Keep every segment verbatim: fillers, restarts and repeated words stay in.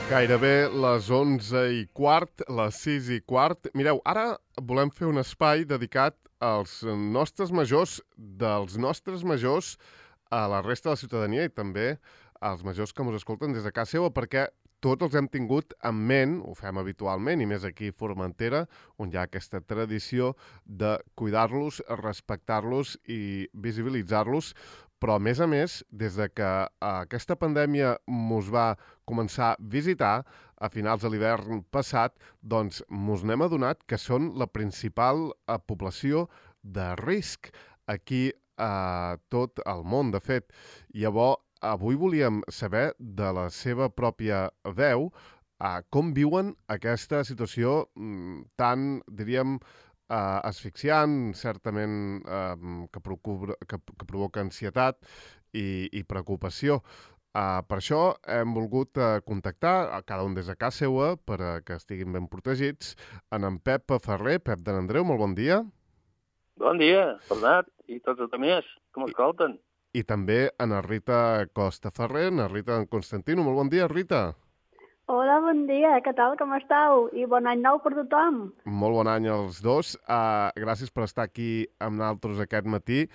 Gairebé les onze i quart, les sis i quart. Mireu, ara volem fer un espai dedicat als nostres majors, dels nostres majors a la resta de la ciutadania i també als majors que ens escolten des de casa seva, perquè tots els hem tingut en ment, ho fem habitualment, i més aquí a Formentera, on hi ha aquesta tradició de cuidar-los, respectar-los i visibilitzar-los, però a més a més, des de que aquesta pandèmia mos va començar a visitar a finals de l'hivern passat, doncs mos n'hem adonat que són la principal eh, població de risc aquí a tot el món, de fet. Llavors, avui volíem saber de la seva pròpia veu eh, com viuen aquesta situació mm, tan, diríem, Uh, asfixiant, certament uh, que, procura, que, que provoca ansietat i, i preocupació. Uh, per això hem volgut uh, contactar a cada un des de casa seva per uh, que estiguin ben protegits en en Pep Ferrer. Pep de n'Andreu, molt bon dia. Bon dia, Bernat, i tots els altres, com escolten. I, i també en Rita Costa Ferrer, en Rita Constantino. Molt bon dia, Rita. Hola, bon dia, què tal, com esteu? I bon any nou per tothom. Molt bon any als dos. Uh, gràcies per estar aquí amb nosaltres aquest matí.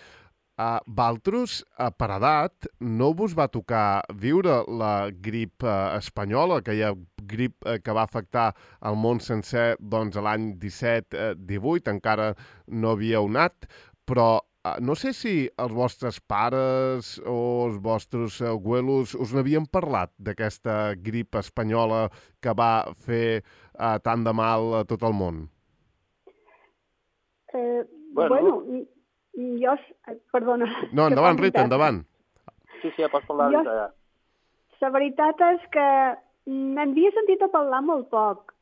Uh, Valtros, uh, per edat, no vos va tocar viure la grip uh, espanyola, aquella grip uh, que va afectar el món sencer doncs, l'any disset divuit, encara no havíeu anat, però Uh, no sé si els vostres pares o els vostres abuelos us n'havien parlat d'aquesta grip espanyola que va fer uh, tant de mal a tot el món. Eh, bueno, bueno, jo... Perdona. No, endavant, Rita, endavant. Sí, sí, ja pots parlar. Jo, ja. La veritat és que n'havia sentit a parlar molt poc,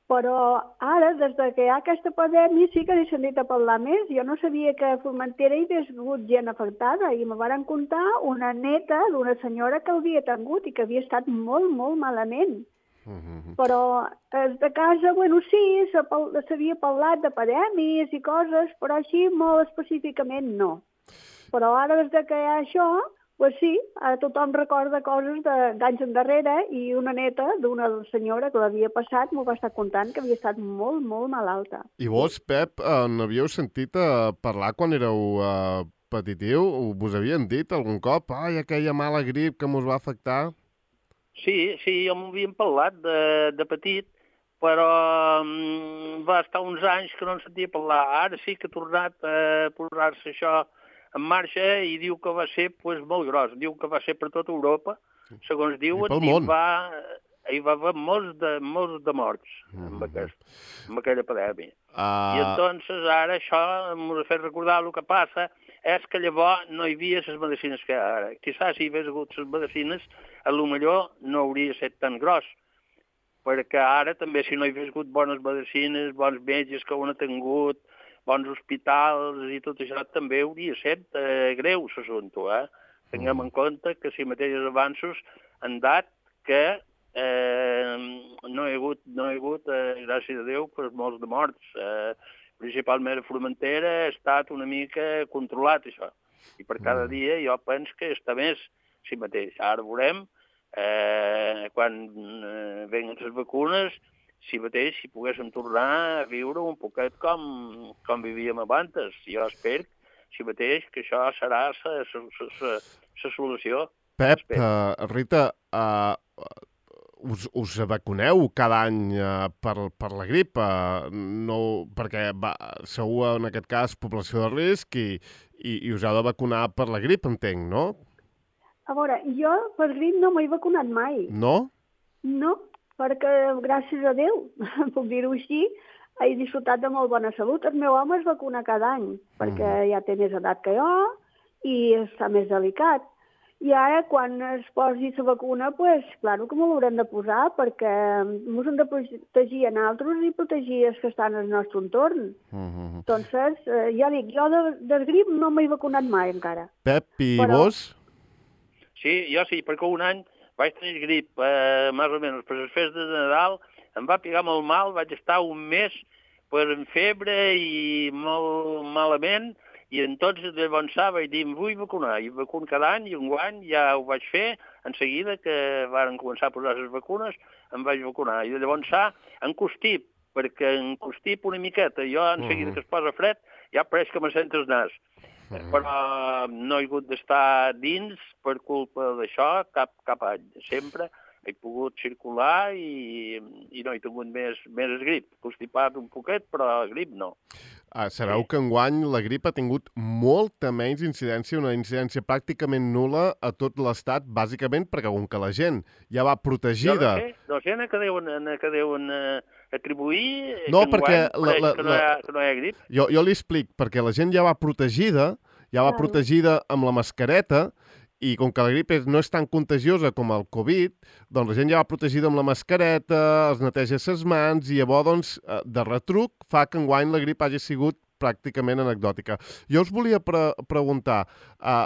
però ara, des que hi ha aquesta pandèmia, sí que n'he sentit a parlar més. Jo no sabia que a Formentera hi hagués hagut gent afectada i me van contar una neta d'una senyora que l'havia tingut i que havia estat molt, molt malament. Uh -huh. Però des de casa, bueno, sí, s'havia parlat de pandèmies i coses, però així molt específicament no. Però ara, des que hi ha això, pues sí, ara tothom recorda coses d'anys endarrere i una neta d'una senyora que l'havia passat m'ho va estar contant que havia estat molt, molt malalta. I vos, Pep, eh, n'havíeu sentit a parlar quan éreu eh, petitiu? Vos havien dit algun cop, ai, aquella mala grip que mos va afectar? Sí, sí, jo m'ho havien parlat de, de petit, però um, va estar uns anys que no en sentia parlar. Ara sí que ha tornat a posar-se això en marxa i diu que va ser pues, molt gros. Diu que va ser per tota Europa, segons diuen, i, i va, hi va haver molts de, molts de morts mm. amb, aquest, amb aquella pandèmia. Uh... I entonces ara això m'ho ha fet recordar el que passa és que llavors no hi havia les medicines que ara. Quizás si hi hagués hagut les medicines, a lo millor no hauria estat tan gros, perquè ara també si no hi hagués hagut bones medicines, bons metges que ho han tingut, bons hospitals i tot això també hauria estat eh, greu l'assumpte, eh? Tinguem en compte que si mateixos avanços han dat que eh, no hi ha hagut, no hi ha hagut eh, gràcies a Déu, pues, molts de morts. Eh, principalment a Formentera ha estat una mica controlat, això. I per cada dia jo penso que està més si mateix. Ara veurem, eh, quan eh, venguen les vacunes, si mateix, si poguéssim tornar a viure un poquet com, com vivíem abans. Jo espero, si mateix, que això serà la solució. Pep, uh, Rita, uh, us, us vacuneu cada any uh, per, per la grip? Uh, no, perquè va, sou, en aquest cas, població de risc i, i, i us heu de vacunar per la grip, entenc, no? A veure, jo per grip no m'he vacunat mai. No? No. Perquè, gràcies a Déu, puc dir-ho així, he disfrutat de molt bona salut. El meu home es vacuna cada any, perquè mm. ja té més edat que jo i està més delicat. I ara, quan es posi la vacuna, pues, clar que m'ho haurem de posar, perquè ens hem de protegir a nosaltres i protegir els que estan al nostre entorn. Mm -hmm. Entonces, eh, ja dic, jo de, del grip no m'he vacunat mai encara. Pep, i Però... vos? Sí, jo sí, perquè un any vaig tenir grip, eh, més o menys, per les festes de Nadal, em va pegar molt mal, vaig estar un mes per en febre i molt malament, i entonces de avançar vaig dir, em vull vacunar, i vacuno cada any, i un any ja ho vaig fer, en seguida que varen començar a posar les vacunes, em vaig vacunar. I de llavors s'ha encostip, perquè encostip una miqueta. Jo, en seguida que es posa fred, ja pareix que me sento el nas. Però no he hagut d'estar dins per culpa d'això cap, cap any. Sempre he pogut circular i, i no he tingut més, més grip. Constipat un poquet, però grip no. Ah, sabeu sí. que enguany la grip ha tingut molta menys incidència, una incidència pràcticament nul·la a tot l'estat, bàsicament perquè com que la gent ja va protegida... Jo no sé, no sé a què deuen, a què deuen uh, atribuir no, que perquè enguany la, la, que, no hi ha, que no hi ha grip. Jo, jo li explic, perquè la gent ja va protegida, ja va Claro. protegida amb la mascareta, i com que la grip és, no és tan contagiosa com el Covid, doncs la gent ja va protegida amb la mascareta, es neteja ses mans, i llavors, doncs, de retruc, fa que enguany la grip hagi sigut pràcticament anecdòtica. Jo us volia pre preguntar, uh,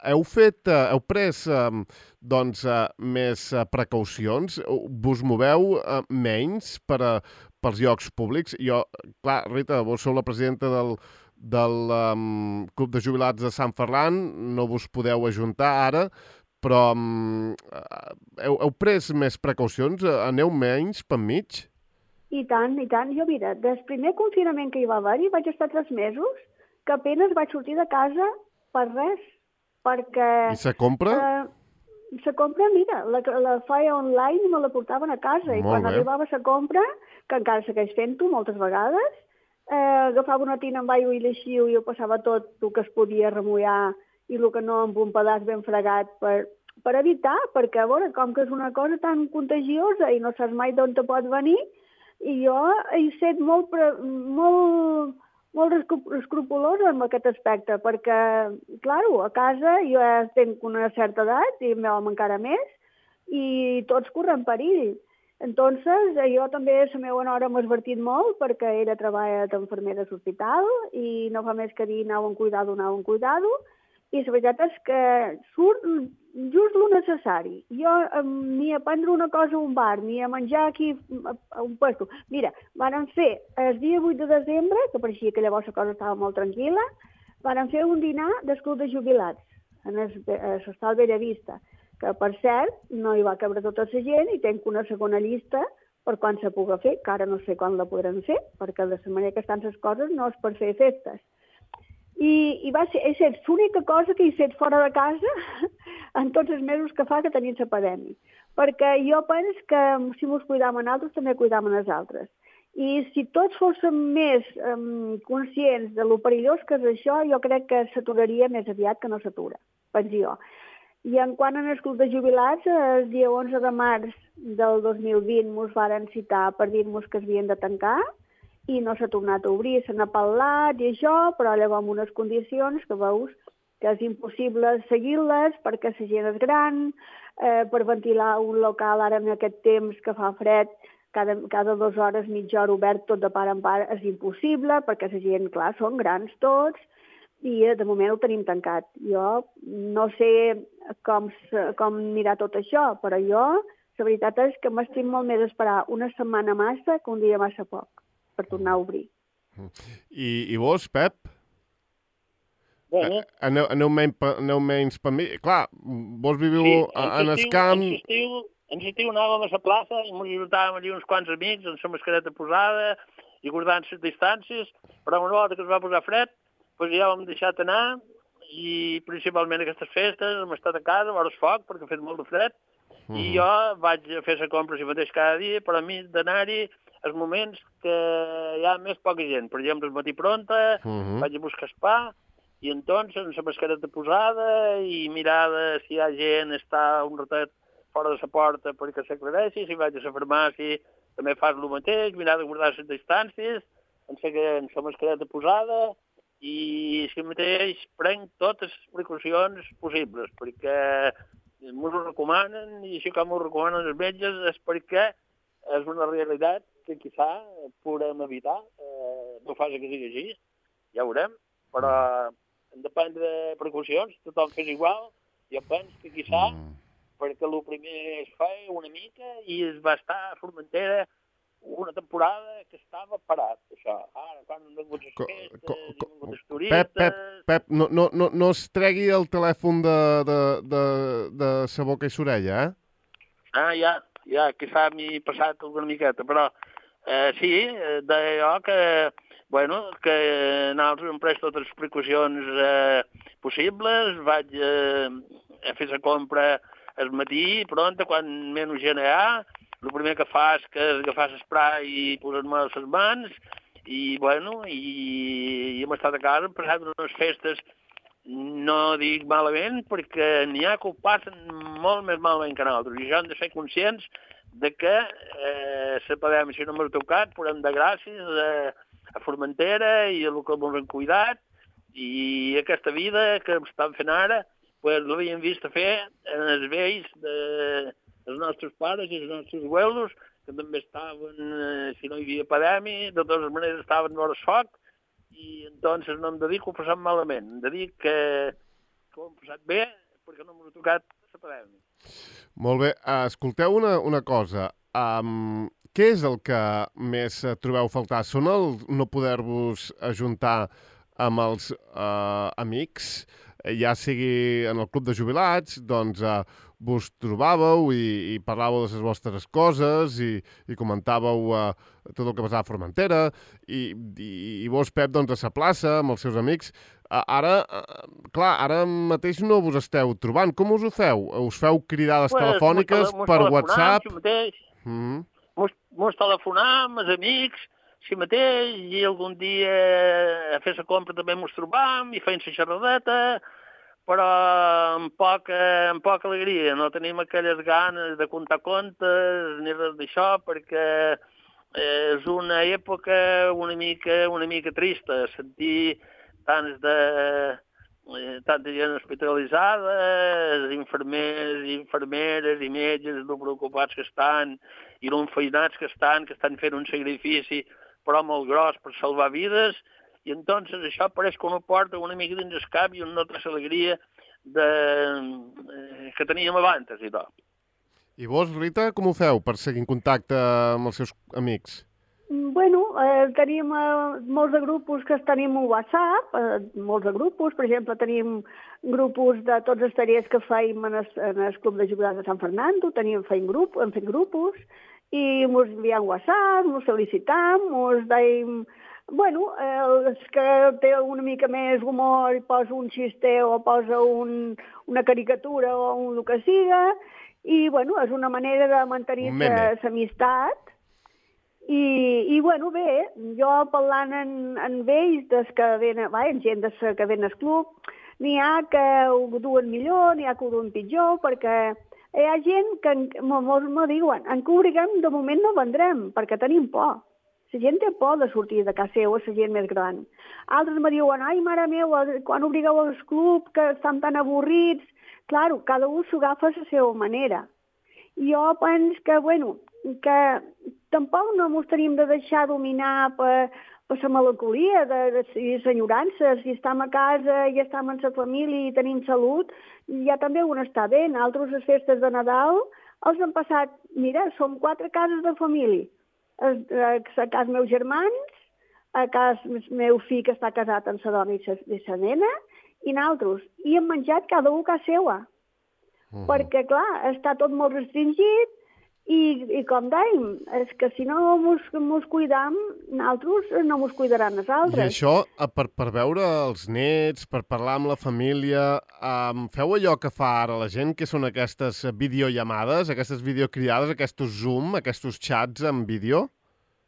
heu fet, uh, heu pres, uh, doncs, uh, més uh, precaucions? Vos moveu uh, menys per a, pels llocs públics? Jo, clar, Rita, vos sou la presidenta del del um, Club de Jubilats de Sant Ferran, no vos podeu ajuntar ara, però um, heu, heu pres més precaucions? Aneu menys per mig? I tant, i tant. Jo, mira, des primer confinament que hi va haver-hi vaig estar tres mesos que apenas vaig sortir de casa per res, perquè... I se compra? Eh, se compra, mira, la, la feia online i me la portaven a casa. Molt I quan bé. arribava a compra, que encara segueix fent-ho moltes vegades, Eh, agafava una tina amb aigua i l'eixiu i ho passava tot el que es podia remullar i el que no amb un pedaç ben fregat per, per evitar, perquè a veure, com que és una cosa tan contagiosa i no saps mai d'on te pot venir, i jo he estat molt, pre, molt, molt escrupulosa en aquest aspecte, perquè, clar, a casa jo ja tenc una certa edat i m'hom encara més, i tots corren perill. Entonces, jo també la meva nora m'ha advertit molt perquè ella treballa d'enfermera a l'hospital i no fa més que dir anau en cuidado, anau en cuidado, i la veritat és que surt just el necessari. Jo ni a prendre una cosa a un bar, ni a menjar aquí a un puesto. Mira, van fer el dia vuit de desembre, que pareixia que llavors la cosa estava molt tranquil·la, van fer un dinar del Club de Jubilats a l'Hostal Bellavista, que, per cert, no hi va cabre tota la gent i tenc una segona llista per quan se pugui fer, que ara no sé quan la podrem fer, perquè de la manera que estan les coses no és per fer festes. I, i va ser, és l'única cosa que he fet fora de casa en tots els mesos que fa que tenim la pandèmia. Perquè jo penso que si ens cuidam a nosaltres, també cuidam a els altres. I si tots fóssim més um, conscients de lo perillós que és això, jo crec que s'aturaria més aviat que no s'atura, penso jo. I en quant a el Club de Jubilats, el dia onze de març del dos mil vint ens varen citar per dir-nos que s'havien de tancar i no s'ha tornat a obrir, se n'ha parlat i això, però llavors amb unes condicions que veus que és impossible seguir-les perquè la gent és gran, eh, per ventilar un local ara en aquest temps que fa fred, cada, cada dues hores, mitja hora obert tot de part en part és impossible perquè la gent, clar, són grans tots, i de moment ho tenim tancat. Jo no sé com, com anirà tot això, però jo, la veritat és que m'estim molt més esperar una setmana massa que un dia massa poc per tornar a obrir. I, i vos, Pep? Bueno. Aneu, aneu, menys, aneu menys per mi? Clar, vos viviu sí, en el camp... En l'estiu, en l'estiu anàvem a la plaça i ens ajutàvem allà uns quants amics amb la mascareta posada i guardant les distàncies, però una volta que es va posar fred, doncs ja ho hem deixat anar i principalment aquestes festes hem estat a casa, a vores foc, perquè ha fet molt de fred, mm. i jo vaig a fer la compra si mateix cada dia, però a mi d'anar-hi els moments que hi ha més poca gent. Per exemple, el matí pronta, mm-hmm. vaig a buscar el pa, i entonces amb la mascareta posada i mirar si hi ha gent, està un ratet fora de la porta perquè s'aclareixi, si vaig a la farmàcia també fas el mateix, mirar de guardar les distàncies, amb la mascareta posada, i si mateix prenc totes les precaucions possibles, perquè m'ho recomanen, i així com m'ho recomanen els metges és perquè és una realitat que quizà podem evitar. Eh, no fa que sigui així, ja ho veurem, però hem de prendre precaucions, tothom fes igual. Jo penso que quizà, perquè el primer es feia una mica i es va estar a Formentera una temporada que estava parat, això. Ara, quan han vingut les Co- festes, co- han co- vingut els Pep, turistes... Pep, Pep, no, no, no, no es tregui el telèfon de, de, de, de sa boca i s'orella, eh? Ah, ja, ja, quizà m'hi he passat una miqueta, però eh, sí, eh, d'allò que, bueno, que nosaltres hem pres totes les precaucions eh, possibles, vaig eh, a fer la compra al matí, pronta, quan menys gent hi ha, el primer que fas que és agafar l'esprai i posar-me a les mans, i, bueno, i, i hem estat a casa, hem passat unes festes, no dic malament, perquè n'hi ha que ho passen molt més malament que nosaltres, i ja hem de ser conscients de que eh, la pandèmia, si no m'ha tocat, podem de gràcies a, a Formentera i a el que ens han cuidat, i aquesta vida que estan fent ara, pues, l'havíem vist a fer en els vells de, els nostres pares i els nostres abuelos, que també estaven, eh, si no hi havia pandèmia, de totes maneres estaven vora el foc, i entonces no hem de dir que ho passem malament, hem de dir que, que ho hem passat bé, perquè no m'ha tocat la pandèmia. Molt bé. Uh, escolteu una, una cosa. Um, què és el que més uh, trobeu a faltar? Són el no poder-vos ajuntar amb els uh, amics, ja sigui en el club de jubilats, doncs uh, vos trobàveu i, i parlàveu de les vostres coses i, i comentàveu uh, tot el que passava a Formentera i, i, i vos, Pep, doncs, a la plaça amb els seus amics. Uh, ara, uh, clar, ara mateix no vos esteu trobant. Com us ho feu? Us feu cridades Pues, telefòniques mos per telefonam, WhatsApp? si mateix, Mm -hmm. mos, mos telefonam, els amics, si mateix, i algun dia a fer la compra també mos trobam i feim la xerradeta, però amb poca, amb poca alegria, no tenim aquelles ganes de contar contes ni res d'això, perquè és una època una mica, una mica trista, sentir tants de, eh, tanta gent hospitalitzada, infermers i infermeres i metges, no preocupats que estan, i no enfeinats que estan, que estan fent un sacrifici però molt gros per salvar vides, i entonces això pareix que no porta una mica dins el cap i una altra alegria de, eh, que teníem abans i tot. I vos, Rita, com ho feu per seguir en contacte amb els seus amics? Bueno, eh, tenim eh, molts de grupos que tenim un WhatsApp, eh, molts de grupos, per exemple, tenim grupos de tots els tallers que feim en el, en el Club de Jubilats de Sant Fernando, tenim feim grup, hem fet grupos, i mos enviem WhatsApp, mos felicitam, mos deim... Bueno, eh, els que té una mica més humor i posa un xiste o posa un, una caricatura o un el que siga, i, bueno, és una manera de mantenir l'amistat. I, I, bueno, bé, jo parlant en, en ells, des que venen, va, en gent des que ven al club, n'hi ha que ho duen millor, n'hi ha que ho duen pitjor, perquè hi ha gent que molts me diuen, en que obriguem, de moment no vendrem, perquè tenim por. La gent té por de sortir de casa seva, la gent més gran. Altres me diuen, ai, mare meva, quan obrigueu al club, que estan tan avorrits. Claro, cada un s'ho agafa a la seva manera. Jo penso que, bueno, que tampoc no ens tenim de deixar dominar per, per la melancolia de, de, de l'enyorança. Si estem a casa i estem en la família i tenim salut, ja també un està bé. Nosaltres, les festes de Nadal, els han passat, mira, som quatre cases de família. A, a casa meus germans, a casa meu fill que està casat amb la dona i la nena, i nosaltres. I hem menjat cada un a casa seva. Uh -huh. Perquè, clar, està tot molt restringit i, i com dèiem, és que si no mos, mos cuidam, nosaltres no mos cuidaran els altres. I això, per, per veure els nets, per parlar amb la família, um, feu allò que fa ara la gent, que són aquestes videollamades, aquestes videocridades, aquests Zoom, aquests xats en vídeo?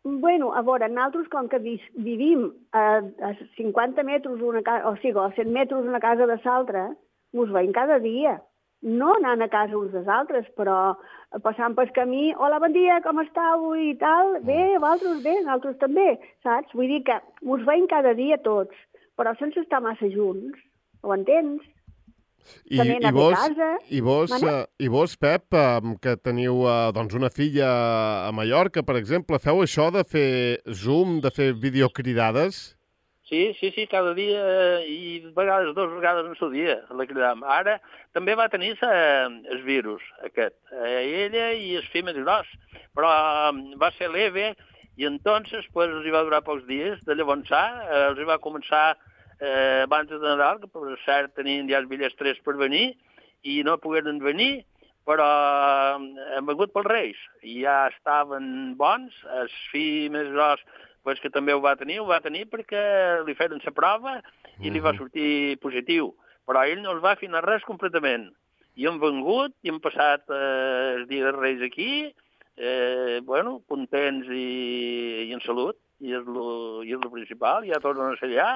Bueno, a veure, nosaltres, com que vivim a, a cinquanta metres, una casa, o sigui, a cent metres una casa de l'altra, mos veiem cada dia. No anant a casa uns dels altres, però passant pel camí, hola, bon dia, com estàu i tal, bé, vosaltres bé, nosaltres també, saps? Vull dir que mos veiem cada dia tots, però sense estar massa junts, ho entens? I, i, vos, i, vos, uh, I vos, Pep, uh, que teniu uh, doncs una filla a Mallorca, per exemple, feu això de fer Zoom, de fer videocridades? Sí, sí, sí, cada dia i vegades, dues vegades en el dia la cridam. Ara també va tenir el virus aquest, ella i el fill més gros, però va ser leve i entonces pues, els hi va durar pocs dies. De llavors eh, els hi va començar eh, abans de Nadal, que per cert tenien ja els bitllets tres per venir i no pogueren venir, però hem begut pels Reis i ja estaven bons. El fill més gros pues, que també ho va tenir, ho va tenir perquè li feren la prova i li va sortir positiu, però ell no els va afinar res completament. I hem vengut i hem passat eh, el dia dels Reis aquí, eh, bueno, contents i, i en salut, i és lo, i és lo principal, ja tornen a ser allà,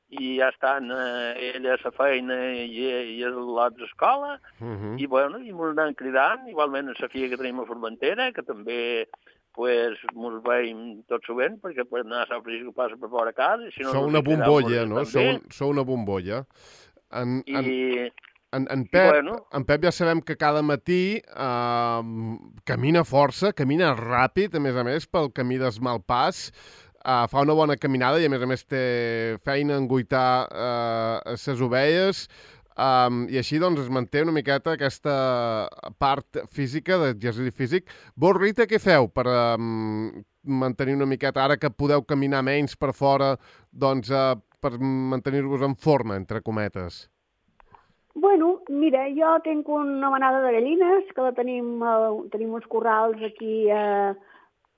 i ja estan eh, ella a la feina i, i a l'altra escola, uh -huh. i bueno, i ens anem cridant, igualment a la filla que tenim a Formentera, que també pues, ens veiem tot sovint, perquè per anar a Sant Francisco passa per fora casa. Si no, sou una bombolla, no? Sou, un, sou una bombolla. En, en, I, en, en, Pep, bueno, en Pep ja sabem que cada matí eh, camina força, camina ràpid, a més a més, pel camí d'Esmalpàs. Uh, fa una bona caminada i, a més a més, té feina en guaitar uh, ses ovelles um, i així, doncs, es manté una miqueta aquesta part física, d'exercici físic. Vos, Rita, què feu per um, mantenir una miqueta, ara que podeu caminar menys per fora, doncs, uh, per mantenir-vos en forma, entre cometes? Bueno, mira, jo tinc una manada de gallines, que la tenim, uh, tenim uns corrals aquí a... Uh,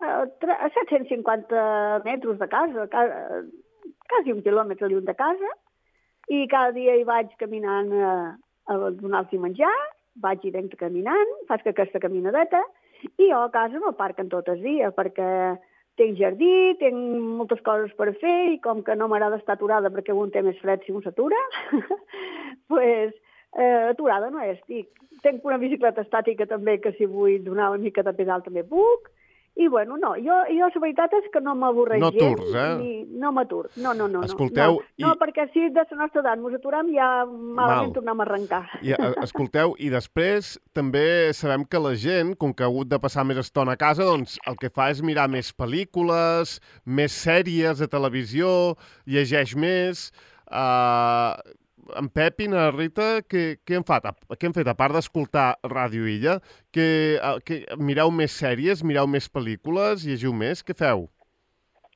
a set-cents cinquanta metres de casa, quasi un quilòmetre lluny de casa, i cada dia hi vaig caminant a, a donar-los menjar, vaig i venc caminant, faig aquesta caminadeta, i jo a casa no parquen tot el dia, perquè tinc jardí, tinc moltes coses per fer, i com que no m'agrada estar aturada perquè un té més fred si un s'atura, pues, eh, aturada no estic. Tinc una bicicleta estàtica també, que si vull donar una mica de pedal també puc. I, bueno, no, jo, jo la veritat és que no m'avorreix no gens. Turs, eh? Ni, no m'atur, no, no, no. Escolteu... No, i... no, perquè si de la nostra edat ens aturem ja malament Mal. tornem a arrencar. I, escolteu, i després també sabem que la gent, com que ha hagut de passar més estona a casa, doncs el que fa és mirar més pel·lícules, més sèries de televisió, llegeix més... Uh... En Pep i na Rita, què, què, han fet? què han fet? A part d'escoltar Ràdio Illa, que, que mireu més sèries, mireu més pel·lícules, llegiu més? Què feu?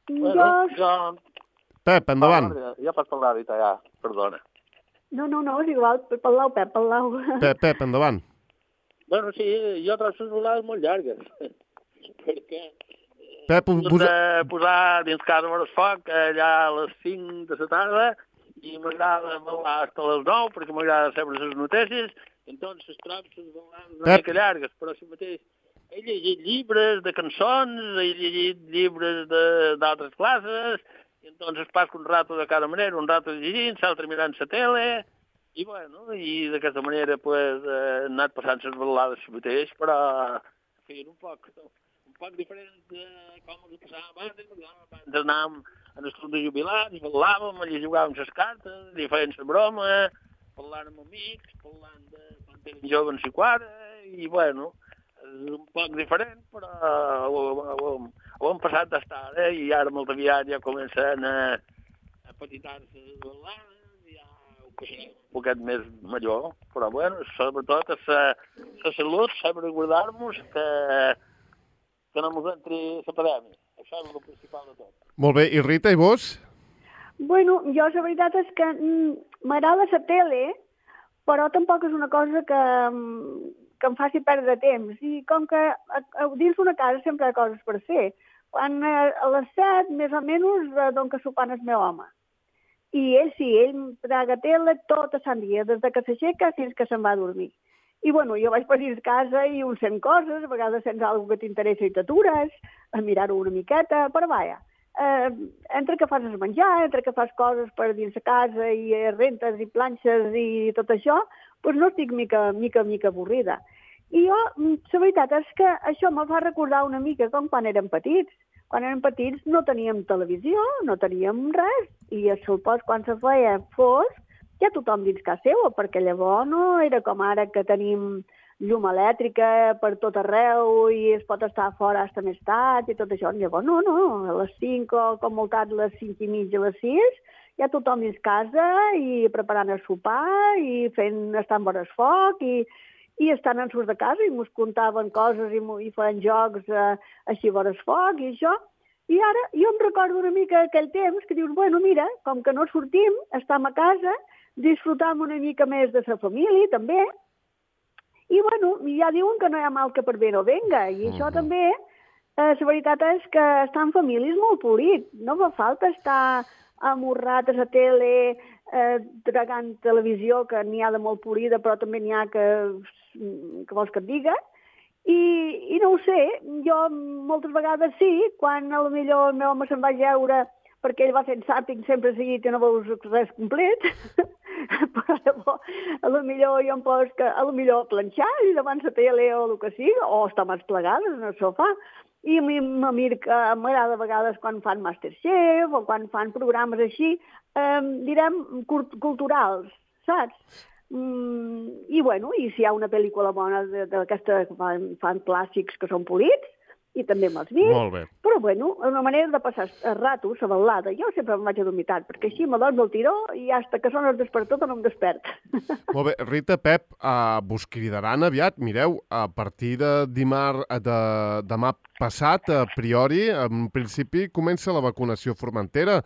Bueno, jo... Pep, endavant. Ah, ja pots parlar, Rita, ja. Perdona. No, no, no, és igual. Parlau, Pep, parlau. Pep, Pep, endavant. Bueno, sí, jo trobo les volades molt llargues. Perquè... Pep, posa... posar dins casa per el foc allà a les cinc de la tarda i m'agrada ballar fins a les nou perquè m'agrada saber les notícies, entonces trobo les volades una mica llargues, però si mateix he llegit llibres de cançons, he llegit llibres d'altres classes, i entonces passo un rato de cada manera, un rato llegint, l'altre mirant la tele, i bueno, i d'aquesta manera pues, he anat passant les balades si mateix, però en fi, un poc, un poc diferent de com ho passava abans, abans anàvem en el club de jubilats, parlàvem, allà jugàvem les cartes, li feien la broma, parlant amb amics, parlant de quan eren joves i quadre, i bueno, és un poc diferent, però ho, ho, ho, ho hem passat d'estar, eh? I ara molt aviat ja comencen a, a petitar-se les balades, ja ho passarem un poquet més major, però bueno, sobretot és la salut, saber guardar-nos que, que no ens entri la pandèmia. Això és el principal de tot. Molt bé. I Rita, i vos? Bueno, jo la veritat és que m'agrada la tele, però tampoc és una cosa que, que em faci perdre temps. I com que a, a, dins d'una casa sempre hi ha coses per fer. Quan a les set, més o menys, dono que sopant el meu home. I ell sí, ell traga tele tot a Sant Dia, des que s'aixeca fins que se'n va a dormir. I, bueno, jo vaig per dins casa i un sent coses, a vegades sents alguna que t'interessa i t'atures, a mirar-ho una miqueta, però vaja, eh, entre que fas el menjar, entre que fas coses per dins de casa i rentes i planxes i tot això, doncs no estic mica, mica, mica avorrida. I jo, la veritat és que això me fa recordar una mica com quan érem petits. Quan érem petits no teníem televisió, no teníem res, i a sopars quan se feia fosc, ja tothom dins casa seva, perquè llavors no era com ara que tenim llum elèctrica per tot arreu i es pot estar fora fins més tard i tot això. Llavors no, no, a les cinc o com molt tard les cinc i mitja, a les sis, ja tothom dins casa i preparant el sopar i fent, estant vora el foc i, i estan en surt de casa i mos contaven coses i, i feien jocs eh, així vora el foc i això. I ara jo em recordo una mica aquell temps que dius, bueno, mira, com que no sortim, estem a casa, disfrutam una mica més de la família, també. I, bueno, ja diuen que no hi ha mal que per bé no venga. I això també, eh, la veritat és que estar en família és molt polit. No fa falta estar amorrat a la tele, eh, tragant televisió, que n'hi ha de molt polida, però també n'hi ha que, que vols que et diga. I, I no ho sé, jo moltes vegades sí, quan a lo millor el meu home se'n va jeure perquè ell va fent zàping sempre seguit i no veus res complet, però llavors, a lo millor jo em poso que, a lo millor planxar i davant la tele o el que sigui, o estar més plegades en el sofà. I a mi m'agrada a vegades quan fan Masterchef o quan fan programes així, eh, direm, culturals, saps? Mm, i bueno, i si hi ha una pel·lícula bona d'aquesta que fan, fan clàssics que són polits, i també me'ls vist. Molt bé. Però bueno, una manera de passar el rato, la balada, jo sempre em vaig a dormir tard, perquè així me dormo el tiró i hasta que sona el despertador no em despert. Molt bé. Rita, Pep, uh, vos cridaran aviat. Mireu, a partir de dimarts, de demà passat, a priori, en principi, comença la vacunació a Formentera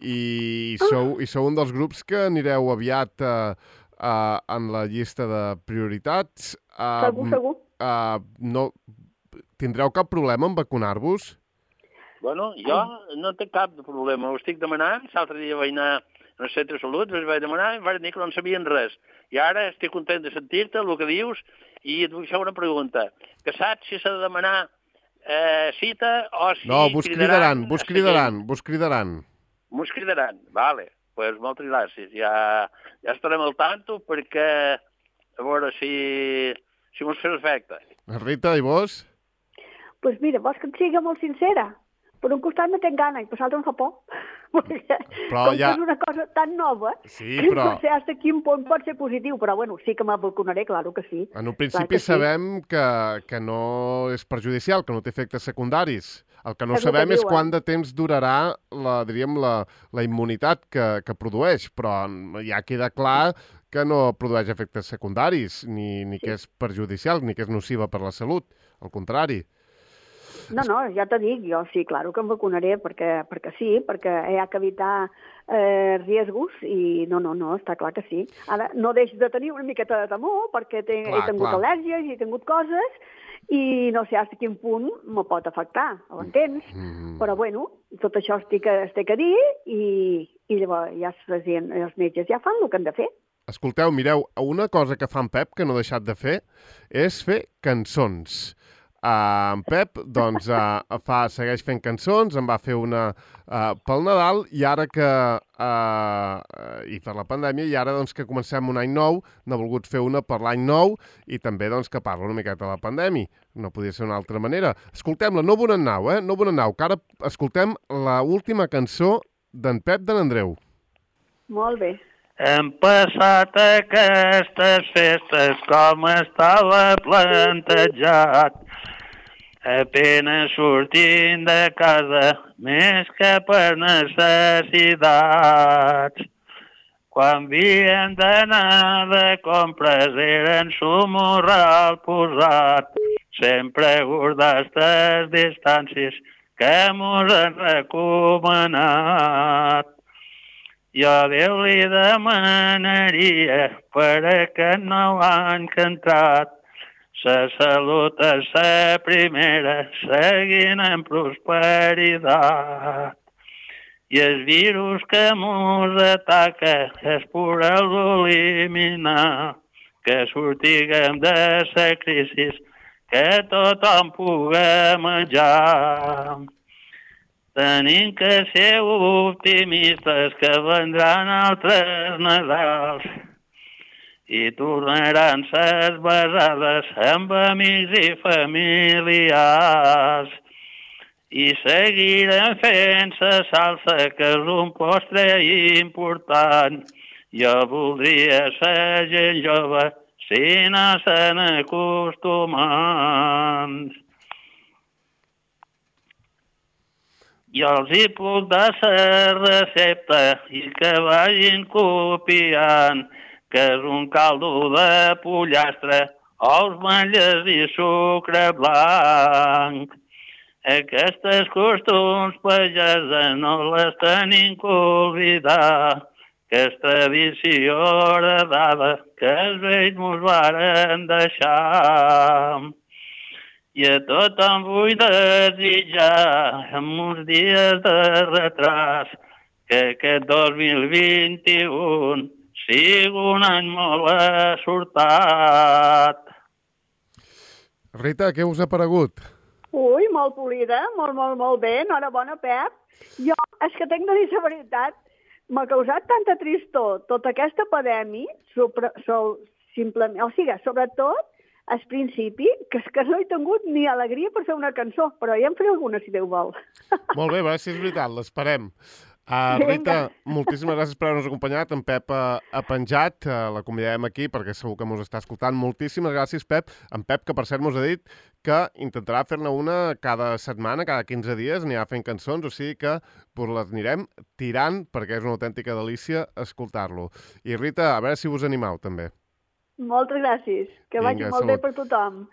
i sou, i sou un dels grups que anireu aviat uh, uh, en la llista de prioritats. Uh, Segur, segur. Uh, no... Tindreu cap problema en vacunar-vos? Bueno, jo no té cap problema. Ho estic demanant. L'altre dia vaig anar al centre de salut, els vaig demanar i em van dir que no en sabien res. I ara estic content de sentir-te, el que dius, i et vull fer una pregunta. Que saps si s'ha de demanar eh, cita o si... No, vos cridaran, vos cridaran, vos cridaran. Vos cridaran, vale. Doncs pues moltes gràcies. Ja, ja estarem al tanto perquè a veure si, si mos fes efecte. Rita, i vos? Doncs pues mira, vols que et sigui molt sincera? Per un costat no tinc gana i per l'altre em fa por. Perquè però com ja... que és una cosa tan nova, sí, que però... no sé fins a quin punt pot ser positiu, però bueno, sí que me vacunaré, claro que sí. En un principi sí. sabem que, que no és perjudicial, que no té efectes secundaris. El que no és sabem que és diuen. quant de temps durarà la, diríem, la, la immunitat que, que produeix, però ja queda clar que no produeix efectes secundaris, ni, ni sí. que és perjudicial, ni que és nociva per la salut, al contrari. No, no, ja t'ho dic, jo sí, claro que em vacunaré perquè, perquè sí, perquè hi ha que evitar eh, riesgos i no, no, no, està clar que sí. Ara no deixo de tenir una miqueta de temor perquè he, clar, he tingut clar. al·lèrgies i he tingut coses i no sé fins a quin punt me pot afectar, ho entens? Mm. Però bueno, tot això estic, estic a dir i, i llavors ja els metges ja fan el que han de fer. Escolteu, mireu, una cosa que fa en Pep, que no ha deixat de fer, és fer cançons. Uh, en Pep doncs, uh, fa, segueix fent cançons, en va fer una uh, pel Nadal i ara que uh, i per la pandèmia, i ara doncs, que comencem un any nou, n'ha volgut fer una per l'any nou i també doncs, que parla una miqueta de la pandèmia. No podia ser una altra manera. Escoltem-la, no Bonannau, eh? No Bonannau, que ara escoltem la última cançó d'en Pep de n'Andreu. Molt bé. Hem passat aquestes festes com estava plantejat, apenas sortint de casa, més que per necessitats. Quan havíem d'anar de compres eren su morral posat, sempre guardats les distàncies que mos han recomanat. Jo a Déu li demanaria per aquest nou any que ha entrat, sa salut és la primera, seguint en prosperitat. I el virus que mos ataca és per eliminar, que sortiguem de la crisi, que tothom pugui menjar. Tenim que ser optimistes que vendran altres Nadals i tornaran ses besades amb amics i familiars. I seguirem fent la salsa, que és un postre important. Jo voldria ser gent jove si no se'n acostumant. Jo els hi puc dar la recepta i que vagin copiant, que és un caldo de pollastre ous, malles i sucre blanc. Aquestes costums pageses no les tenim que oblidar, que és tradició heredada que els vells mos varen deixar. I a tothom vull desitjar amb uns dies de retras que aquest dos mil vint-i-u sigui un any molt assortat. Rita, què us ha paregut? Ui, molt polida, molt, molt, molt bé. Enhorabona, Pep. Jo, és que tinc de dir la veritat, m'ha causat tanta tristor tota aquesta pandèmia, sobre, so, simplement, o sigui, sobretot, al principi, que és que no he tingut ni alegria per fer una cançó, però ja en faré alguna, si Déu vol. Molt bé, a veure si és veritat, l'esperem. Uh, Rita, moltíssimes gràcies per haver-nos acompanyat. En Pep ha, ha penjat, uh, la convidarem aquí perquè segur que ens està escoltant. Moltíssimes gràcies, Pep. En Pep, que per cert mos ha dit que intentarà fer-ne una cada setmana, cada quinze dies, anirà fent cançons, o sigui que pues, les anirem tirant perquè és una autèntica delícia escoltar-lo. I Rita, a veure si vos animau també. Moltes gràcies. Que Vinga, vagi molt salut. bé per tothom.